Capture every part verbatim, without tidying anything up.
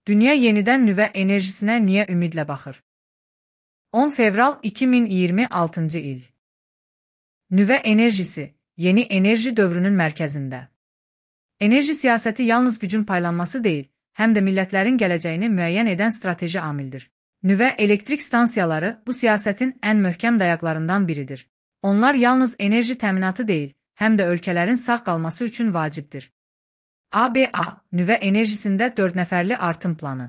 Dünya yenidən nüvə enerjisinə niyə ümidlə baxır? on fevral iki min iyirmi altıncı il. Nüvə enerjisi, yeni enerji dövrünün mərkəzində. Enerji siyasəti yalnız gücün paylanması deyil, həm də millətlərin gələcəyini müəyyən edən strateji amildir. Nüvə elektrik stansiyaları bu siyasətin ən möhkəm dayaqlarından biridir. Onlar yalnız enerji təminatı deyil, həm də ölkələrin sağ qalması üçün vacibdir. A B A, nüvə enerjisində dörd nəfərli artım planı.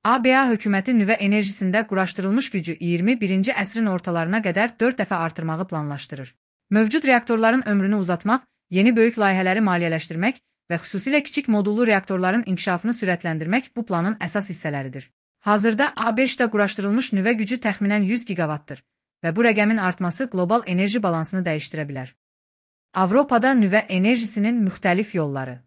A B A hökuməti nüvə enerjisində quraşdırılmış gücü iyirmi birinci əsrin ortalarına qədər dörd dəfə artırmağı planlaşdırır. Mövcud reaktorların ömrünü uzatmaq, yeni böyük layihələri maliyyələşdirmək və xüsusilə kiçik modullu reaktorların inkişafını sürətləndirmək bu planın əsas hissələridir. Hazırda A beşdə quraşdırılmış nüvə gücü təxminən yüz giqavatdır və bu rəqəmin artması qlobal enerji balansını dəyişdirə bilər. Avropada nüvə enerjisinin müxtəlif yolları.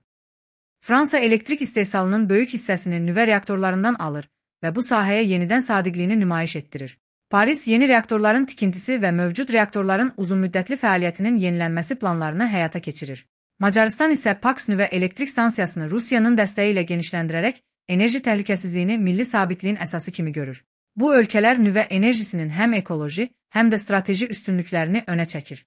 Fransa elektrik istehsalının böyük hissəsini nüvə reaktorlarından alır və bu sahəyə yenidən sadiqliyini nümayiş etdirir. Paris yeni reaktorların tikintisi və mövcud reaktorların uzunmüddətli fəaliyyətinin yenilənməsi planlarını həyata keçirir. Macarıstan isə Paks nüvə elektrik stansiyasını Rusiyanın dəstəyi ilə genişləndirərək enerji təhlükəsizliyini milli sabitliyin əsası kimi görür. Bu ölkələr nüvə enerjisinin həm ekoloji, həm də strateji üstünlüklərini önə çəkir.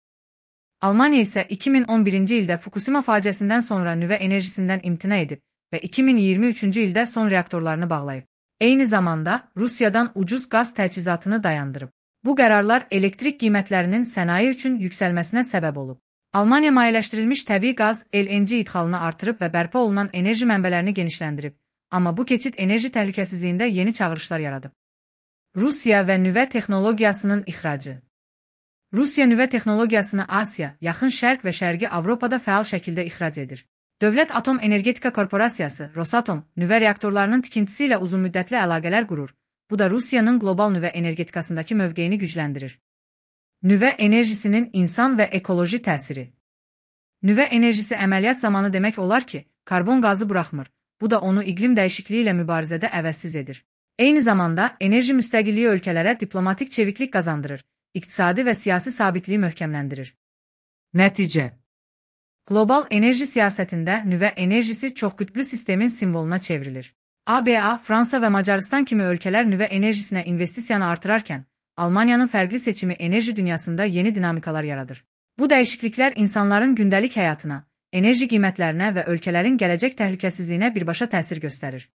Almaniya isə iki min on birinci ildə Fukushima faciəsindən sonra nüvə enerjisindən imtina edib və iki min iyirmi üçüncü ildə son reaktorlarını bağlayıb. Eyni zamanda Rusiyadan ucuz qaz təchizatını dayandırıb. Bu qərarlar elektrik qiymətlərinin sənaye üçün yüksəlməsinə səbəb olub. Almaniya mayeləşdirilmiş təbii qaz L N G idxalını artırıb və bərpa olunan enerji mənbələrini genişləndirib, amma bu keçid enerji təhlükəsizliyində yeni çağırışlar yaradıb. Rusiya və nüvə texnologiyasının ixracı. Rusiya nüvə texnologiyasını Asiya, Yaxın Şərq və Şərqi Avropada fəal şəkildə ixrac edir. Dövlət Atom Energetika Korporasiyası, Rosatom, nüvə reaktorlarının tikintisi ilə uzunmüddətli əlaqələr qurur. Bu da Rusiyanın qlobal nüvə energetikasındakı mövqeyini gücləndirir. Nüvə enerjisinin insan və ekoloji təsiri. Nüvə enerjisi əməliyyat zamanı demək olar ki, karbon qazı buraxmır. Bu da onu iqlim dəyişikliyi ilə mübarizədə əvəzsiz edir. Eyni zamanda enerji müstəqilliyi ölkələrə diplomatik çeviklik qazandırır. İqtisadi və siyasi sabitliyi möhkəmləndirir. Nəticə. Qlobal enerji siyasətində nüvə enerjisi çoxqütblü sistemin simvoluna çevrilir. A B A, Fransa və Macarıstan kimi ölkələr nüvə enerjisinə investisiyanı artırarkən, Almaniyanın fərqli seçimi enerji dünyasında yeni dinamikalar yaradır. Bu dəyişikliklər insanların gündəlik həyatına, enerji qiymətlərinə və ölkələrin gələcək təhlükəsizliyinə birbaşa təsir göstərir.